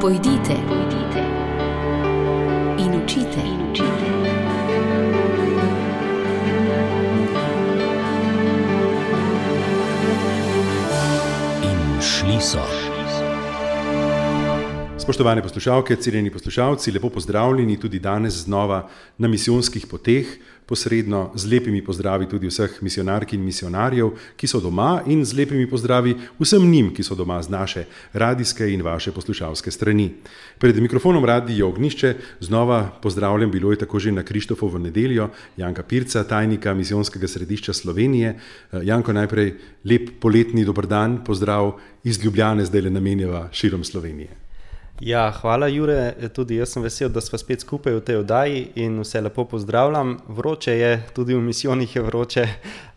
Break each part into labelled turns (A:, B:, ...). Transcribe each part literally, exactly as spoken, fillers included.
A: Pojdite, pojdite in učite, in učite.
B: In šli so.
C: Spoštovane poslušalke, cenjeni poslušalci, lepo pozdravljeni tudi danes znova na misijonskih poteh, posredno z lepimi pozdravi tudi vseh misionark in misionarjev, ki so doma, in z lepimi pozdravi vsem njim, ki so doma z naše radijske in vaše poslušalske strani. Pred mikrofonom Radia Ognjišče znova pozdravljam, bilo je tako že na Krištofovo nedeljo, Janka Pirca, tajnika Misijonskega središča Slovenije. Janko, najprej lep poletni dober dan, pozdrav iz Ljubljane, zdaj le namenjava širom Slovenije.
D: Ja, hvala Jure, tudi jaz sem vesel, da sva spet skupaj v tej oddaji in vse lepo pozdravljam. Vroče je, tudi v misijonih je vroče,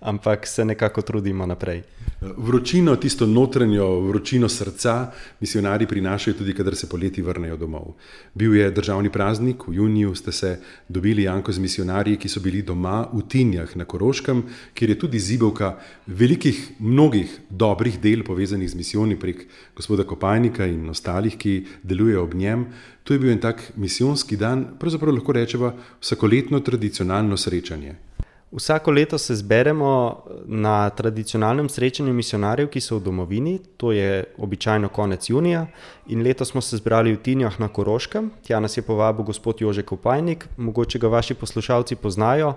D: ampak se nekako trudimo naprej.
C: Vročino, tisto notranjo vročino srca, misionari prinašajo tudi, kadar se poleti vrnejo domov. Bil je državni praznik, v juniju ste se dobili, Janko, z misionarji, ki so bili doma v Tinjah na Koroškem, kjer je tudi zibelka velikih, mnogih dobrih del povezanih z misijoni prek gospoda Kopajnika in ostalih, ki delujejo ob njem. To je bil en tak misijonski dan, pravzaprav lahko rečeva vsakoletno tradicionalno srečanje.
D: Vsako leto se zberemo na tradicionalnem srečanju misionarjev, ki so v domovini, to je običajno konec junija, in letos smo se zbrali v Tinjah na Koroškem. Tja nas je povabil gospod Jože Kopajnik, mogoče ga vaši poslušalci poznajo.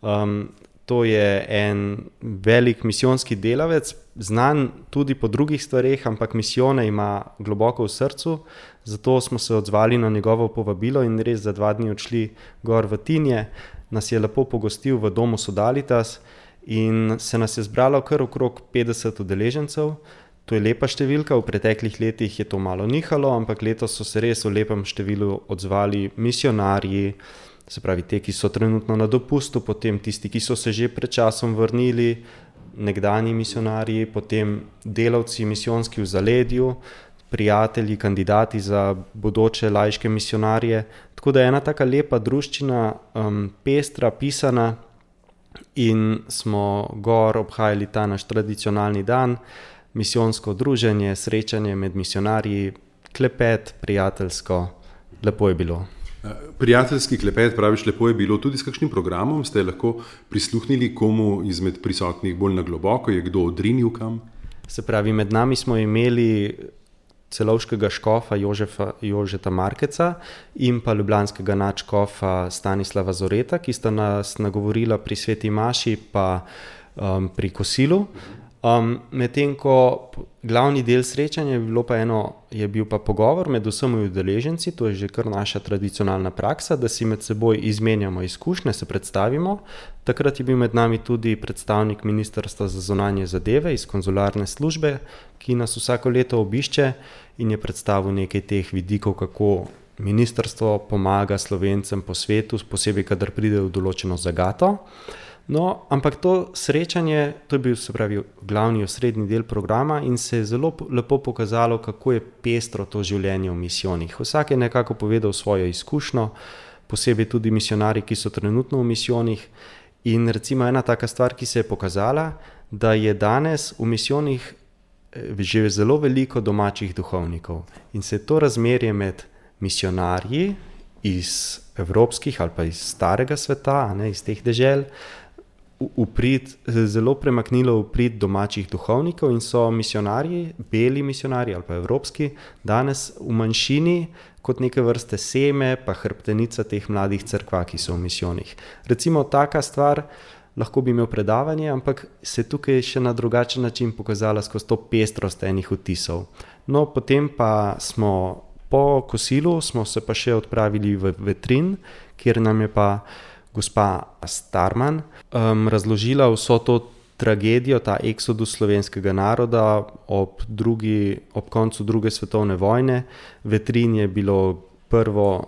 D: Um, to je en velik misijonski delavec, znan tudi po drugih stvareh, ampak misijone ima globoko v srcu, zato smo se odzvali na njegovo povabilo in res za dva dni odšli gor v Tinje. Nas je lepo pogostil v domu Sodalitas in se nas je zbralo kar okrog petdeset udeležencev. To je lepa številka, v preteklih letih je to malo nihalo, ampak letos so se res v lepem številu odzvali misionarji, se pravi te, ki so trenutno na dopustu, potem tisti, ki so se že pred časom vrnili, nekdanji misionarji, potem delavci misijonski v zaledju, prijatelji, kandidati za bodoče laiške misionarje. Tako da je ena taka lepa druščina, um, pestra, pisana, in smo gor obhajali ta naš tradicionalni dan, misijonsko druženje, srečanje med misionarji, klepet, prijateljsko, lepo je bilo.
C: Prijateljski klepet, praviš, lepo je bilo, tudi s kakšnim programom ste lahko prisluhnili komu izmed prisotnih bolj na globoko, je kdo odrinil kam?
D: Se pravi, med nami smo imeli celovškega škofa Jožefa, Jožeta Markeca in pa ljubljanskega nadškofa Stanislava Zoreta, ki sta nas nagovorila pri sveti maši pa um, pri kosilu. Um, medtem ko glavni del srečanja je, bilo pa eno, je bil pa pogovor med vsemi udeleženci, to je že kar naša tradicionalna praksa, da si med seboj izmenjamo izkušnje, se predstavimo. Takrat je bil med nami tudi predstavnik Ministrstva za zunanje zadeve iz konzularne službe, ki nas vsako leto obišče in je predstavil nekaj teh vidikov, kako ministrstvo pomaga Slovencem po svetu, posebej kadar pride v določeno zagato. No, ampak to srečanje, to je bil, se pravi, glavni osrednji del programa in se je zelo lepo pokazalo, kako je pestro to življenje v misijonih. Vsak je nekako povedal svojo izkušnjo, posebej tudi misionarji, ki so trenutno v misijonih. In recimo ena taka stvar, ki se je pokazala, da je danes v misijonih že zelo veliko domačih duhovnikov. In se je to razmerje med misionarji iz evropskih ali pa iz starega sveta, ne, iz teh dežel, Uprit, zelo premaknilo v prid domačih duhovnikov in so misionarji, beli misionarji ali pa evropski, danes v manjšini kot neke vrste seme pa hrbtenica teh mladih cerkva, ki so v misijonih. Recimo taka stvar, lahko bi imel predavanje, ampak se tukaj še na drugačen način pokazala skozi to pestrost enih vtisov. No, potem pa smo po kosilu, smo se pa še odpravili v Vetrin, kjer nam je pa gospa Starman um, razložila vso to tragedijo, ta eksodus slovenskega naroda ob, drugi, ob koncu druge svetovne vojne. Vetrin je bilo prvo,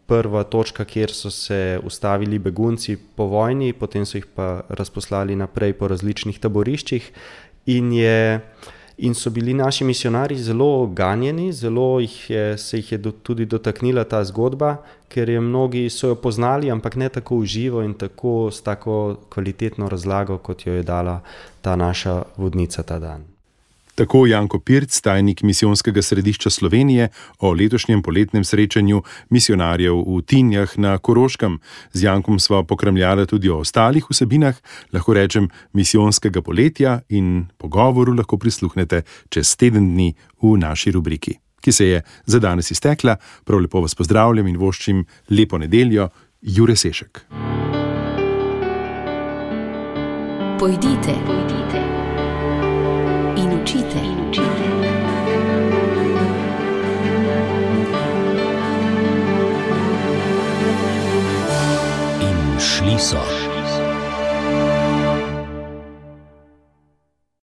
D: prva točka, kjer so se ustavili begunci po vojni, potem so jih pa razposlali naprej po različnih taboriščih in je In so bili naši misionarji zelo ganjeni, zelo jih je, se jih je do, tudi dotaknila ta zgodba, ker je mnogi so jo poznali, ampak ne tako v živo in tako s tako kvalitetno razlago, kot jo je dala ta naša vodnica ta dan.
C: Tako Janko Pirc, tajnik Misijonskega središča Slovenije, o letošnjem poletnem srečanju misionarjev v Tinjah na Koroškem. Z Jankom sva pokramljala tudi o ostalih vsebinah, lahko rečem, misijonskega poletja, in pogovoru lahko prisluhnete čez teden dni v naši rubriki, ki se je za danes iztekla. Prav lepo vas pozdravljam in voščim lepo nedeljo. Jure Sešek.
A: Pojdite, pojdite in učite, in učite.